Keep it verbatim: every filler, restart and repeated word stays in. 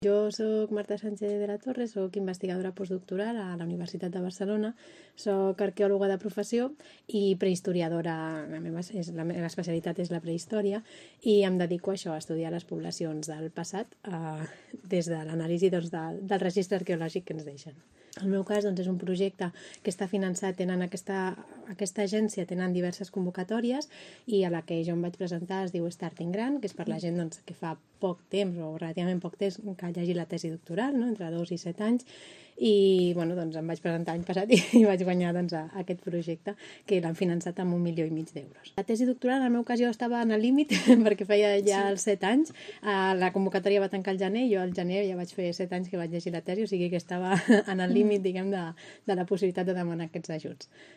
Jo soc Marta Sánchez de la Torre, soc investigadora postdoctoral a la Universitat de Barcelona, soc arqueòloga de professió i prehistoriadora. La meva, és, la meva especialitat és la prehistòria i em dedico a això, a estudiar les poblacions del passat eh, des de l'anàlisi doncs, de, del registre arqueològic que ens deixen. El meu cas doncs, és un projecte que està finançat, tenen aquesta, aquesta agència, tenen diverses convocatòries i a la que jo em vaig presentar es diu Starting Grant, que és per la gent doncs, que fa poc temps o relativament poc temps que llegir la tesi doctoral, no? Entre dos i set anys, i bueno, doncs em vaig presentar l'any passat i, i vaig guanyar doncs, a, a aquest projecte que l'han finançat amb un milió i mig d'euros. La tesi doctoral, en el meu cas, jo estava en el límit perquè feia ja els set anys. Uh, la convocatòria va tancar al gener i jo al gener ja vaig fer set anys que vaig llegir la tesi, o sigui que estava en el límit, diguem, de, de la possibilitat de demanar aquests ajuts.